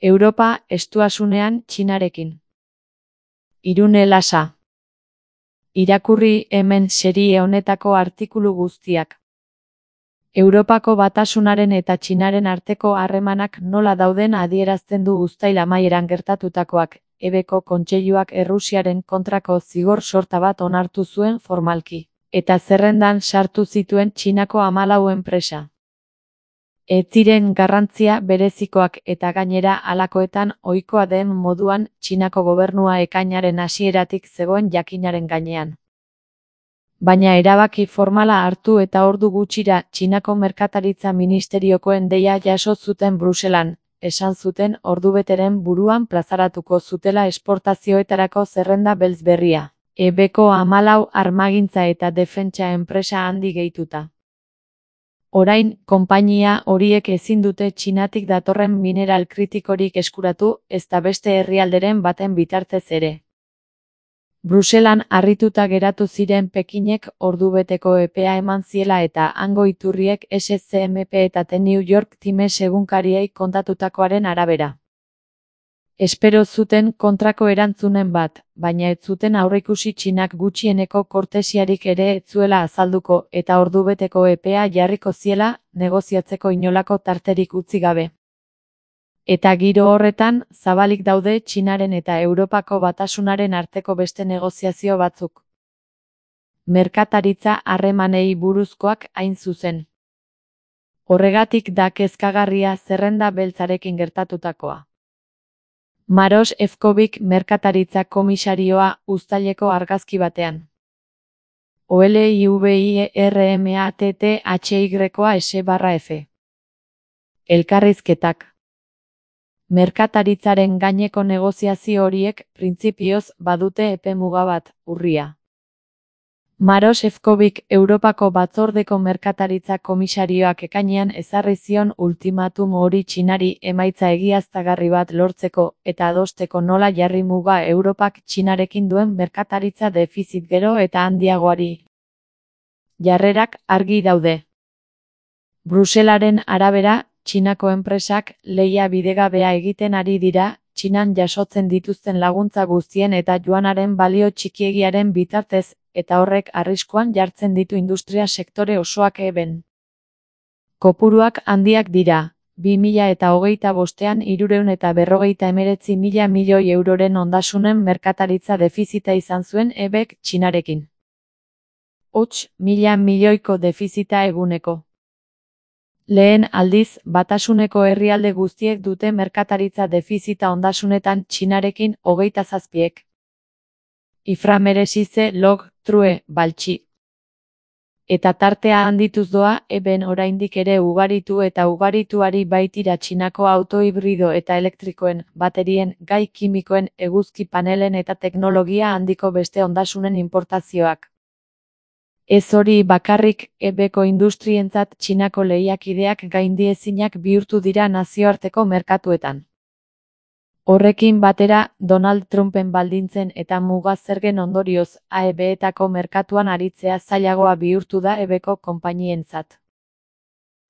Europa estuasunean Txinarekin. Irune Lasa. Irakurri hemen serie honetako artikulu guztiak. Europako Batasunaren eta Txinaren arteko harremanak nola dauden adierazten du uztail amaieran gertatutakoak. Ebeko Kontseiluak Errusiaren kontrako zigor sorta bat onartu zuen formalki, eta zerrendan sartu zituen Txinako 14 enpresa. Ez ziren garrantzia berezikoak eta gainera halakoetan ohikoa den moduan Txinako gobernua ekainaren hasieratik zegoen jakinaren gainean. Baina erabaki formala hartu eta ordu gutxira Txinako merkataritza ministeriokoen deia jaso zuten Bruselan, esan zuten ordubeteren buruan plazaratuko zutela esportazioetarako zerrenda beltz berria, ebeko 14 armagintza eta defentsa enpresa handi gehituta. Orain, konpainia horiek ezin dute Txinatik datorren mineral kritikorik eskuratu, ezta beste herrialderen baten bitartez ere. Bruselan harrituta geratu ziren Pekinek ordubeteko epea eman ziela eta hango iturriek SCMP eta The New York Times egunkariei kontatutakoaren arabera. Espero zuten kontrako erantzunen bat, baina ez zuten aurreikusi Txinak gutxieneko kortesiarik ere ez zuela azalduko eta ordubeteko epea jarriko ziela, negoziatzeko inolako tarterik utzi gabe. Eta giro horretan, zabalik daude Txinaren eta Europako Batasunaren arteko beste negoziazio batzuk. Merkataritza harremanei buruzkoak hain zuzen. Horregatik da kezkagarria zerrenda beltzarekin gertatutakoa. Maros Efcovic merkataritza komisarioa uztaileko argazki batean. OLIVIRMATTHYS/F. Elkarrizketak. Merkataritzaren gaineko negoziazio horiek, printzipioz, badute epe muga bat, urria. Maros Efcovic Europako Batzordeko Merkataritza Komisarioak ekainean ezarri zion ultimatum hori Txinari emaitza egiaztagarri bat lortzeko eta adosteko nola jarri muga Europak Txinarekin duen merkataritza defizit gero eta handiagoari. Jarrerak argi daude. Bruselaren arabera, Txinako enpresak lehia bidegabea egiten ari dira, Txinan jasotzen dituzten laguntza guztien eta juanaren balio txikiegiaren bitartez, eta horrek arriskuan jartzen ditu industria sektore osoak eben. Kopuruak handiak dira, 2025ean 349.000 milioi euroren ondasunen merkataritza defizita izan zuen ebek Txinarekin. Hots, 1.000 milioiko defizita eguneko. Lehen aldiz, Batasuneko herrialde guztiek dute merkataritza defizita ondasunetan Txinarekin 27. Iframeresize log, true, baltsi. Eta tartea handituz doa, eben oraindik ere ugaritu eta ugarituari baitira Txinako autohibrido eta elektrikoen, baterien, gai kimikoen, eguzki panelen eta teknologia handiko beste ondasunen importazioak. Ez hori bakarrik, ebeko industrientzat Txinako lehiakideak gaindiezinak bihurtu dira nazioarteko merkatuetan. Horrekin batera, Donald Trumpen baldintzen eta muga zergen ondorioz, AEB-etako merkatuan aritzea zailagoa bihurtu da ebeko konpainientzat.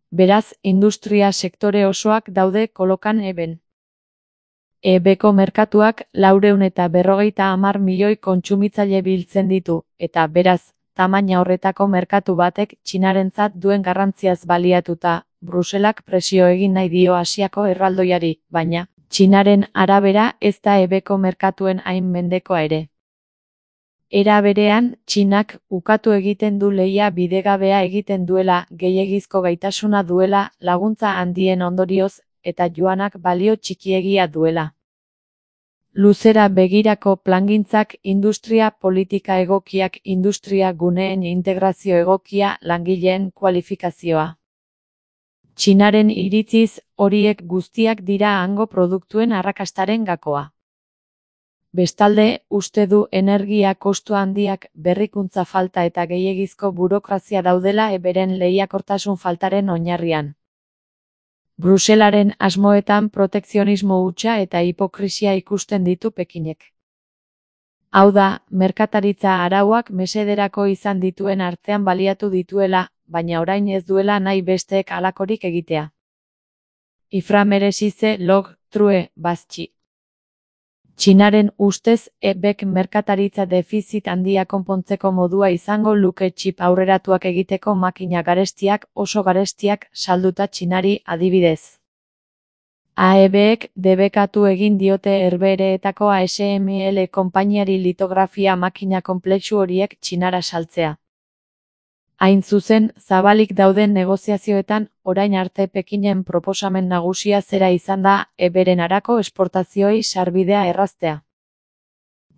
Beraz, industria sektore osoak daude kolokan eben. Ebeko merkatuak 450 milioi kontsumitzaile biltzen ditu, eta beraz, tamaina horretako merkatu batek Txinarentzat duen garrantziaz baliatuta, Bruselak presio egin nahi dio Asiako erraldoiari, baina, Txinaren arabera ez da ebeko merkatuen hain mendekoa ere. Era berean, Txinak ukatu egiten du lehia bidegabea egiten duela, gehiegizko gaitasuna duela, laguntza handien ondorioz, eta juanak balio txikiegia duela. Luzera begirako plangintzak industria politika egokiak industria guneen integrazio egokia langileen kualifikazioa. Txinaren iritziz, horiek guztiak dira hango produktuen arrakastaren gakoa. Bestalde, uste du energia kostu handiak, berrikuntza falta eta gehiegizko burokrazia daudela eberen lehiakortasun faltaren oinarrian. Bruselaren asmoetan protekzionismo hutsa eta hipokrisia ikusten ditu Pekinek. Hau da, merkataritza arauak mesederako izan dituen artean baliatu dituela, baina orain ez duela nahi besteek halakorik egitea. Iframeresize log, True, Baschi. Txinaren ustez, ebek merkataritza defizit handia konpontzeko modua izango luke txip aurreratuak egiteko makina garestiak, oso garestiak, salduta Txinari adibidez. AEBek debekatu egin diote Herbehereetako ASML konpainiari litografia makina konplexu horiek Txinara saltzea. Hain zuzen, zabalik dauden negoziazioetan, orain arte Pekinen proposamen nagusia zera izan da, eberen arako esportazioei sarbidea erraztea.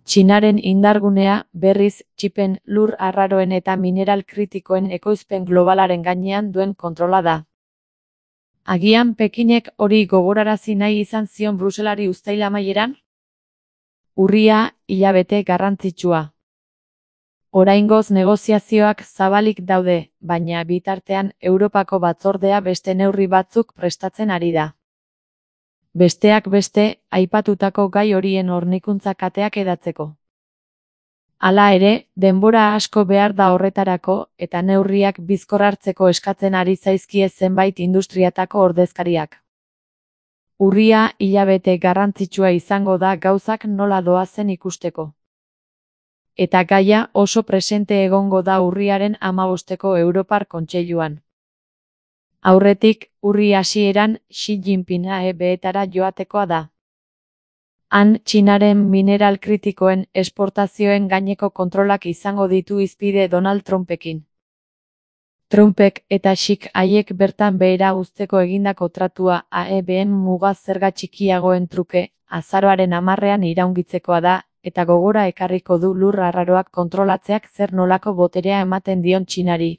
Txinaren indargunea, berriz, txipen, lur arraroen eta mineral kritikoen ekoizpen globalaren gainean duen kontrola da. Agian Pekinek hori gogorarazi nahi izan zion Bruselari uztail amaieran? Urria, hilabete garrantzitsua. Oraingoz negoziazioak zabalik daude, baina bitartean Europako batzordea beste neurri batzuk prestatzen ari da. Besteak beste, aipatutako gai horien hornikuntza kateak edatzeko. Hala ere, denbora asko behar da horretarako, eta neurriak bizkor hartzeko eskatzen ari zaizkie zenbait industriatako ordezkariak. Urria, hilabete garrantzitsua izango da gauzak nola doazen ikusteko. Eta gaia oso presente egongo da urriaren 15ko Europar Kontseiluan. Aurretik, urri hasieran Xi Jinping AEBetara joatekoa da. Han Txinaren mineral kritikoen esportazioen gaineko kontrolak izango ditu hizpide Donald Trumpekin. Trumpek eta Xik haiek bertan behera uzteko egindako tratua AEBen muga zerga txikiagoen truke, azaroaren 10ean iraungitzekoa da, eta gogora ekarriko du lur arraroak kontrolatzeak zer nolako boterea ematen dion Txinari.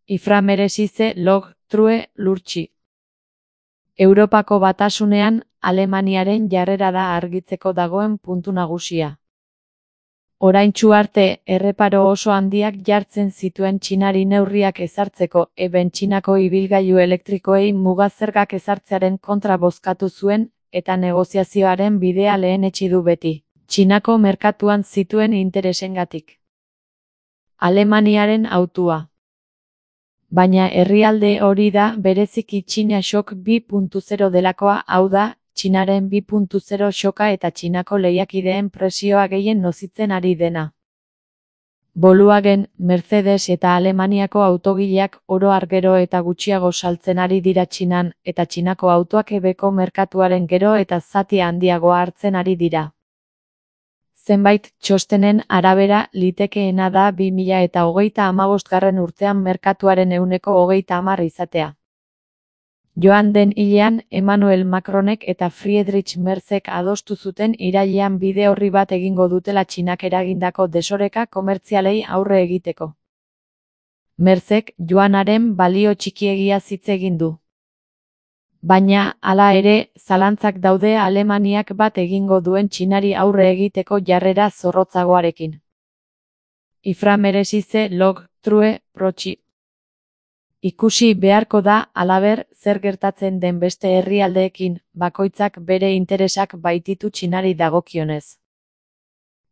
Ifra merezize log, true, lurtsi. Europako Batasunean, Alemaniaren jarrera da argitzeko dagoen puntu nagusia. Oraintsu arte, erreparo oso handiak jartzen zituen Txinari neurriak ezartzeko, eben Txinako ibilgailu elektrikoei muga zergak ezartzearen kontra bozkatu zuen, eta negoziazioaren bidea lehenetsi du beti, Txinako merkatuan zituen interesengatik. Alemaniaren hautua. Baina herrialde hori da bereziki Txina Shock 2.0 delakoa, hau da, Txinaren 2.0 shoka eta Txinako lehiakideen presioa gehien nozitzen ari dena. Volkswagen, Mercedes eta Alemaniako autogileak oro har gero eta gutxiago saltzen ari dira Txinan, eta Txinako autoak ebeko merkatuaren gero eta zati handiagoa hartzen ari dira. Zenbait txostenen arabera litekeena da 2035 urtean merkatuaren 30% izatea. Joan den hilean, Emmanuel Macronek eta Friedrich Merzek adostu zuten irailean bide orri bat egingo dutela Txinak eragindako desoreka komertzialei aurre egiteko. Merzek juanaren balio txikiegia hitz egin du. Baina, hala ere, zalantzak daude Alemaniak bat egingo duen Txinari aurre egiteko jarrera zorrotzagoarekin. Ifra merezize log, true, protxi. Ikusi beharko da, halaber, zer gertatzen den beste herrialdeekin, bakoitzak bere interesak baititu Txinari dagokionez.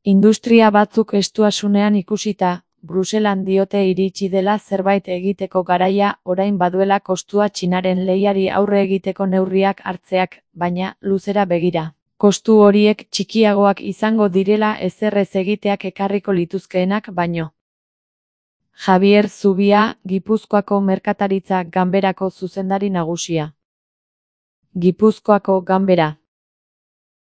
Industria batzuk estuasunean ikusita, Bruselan diote iritsi dela zerbait egiteko garaia, orain baduela kostua Txinaren lehiari aurre egiteko neurriak hartzeak, baina luzera begira. Kostu horiek txikiagoak izango direla ezerrez egiteak ekarriko lituzkeenak baino. Javier Zubia, Gipuzkoako Merkataritza Ganberako zuzendari nagusia. Gipuzkoako Ganbera.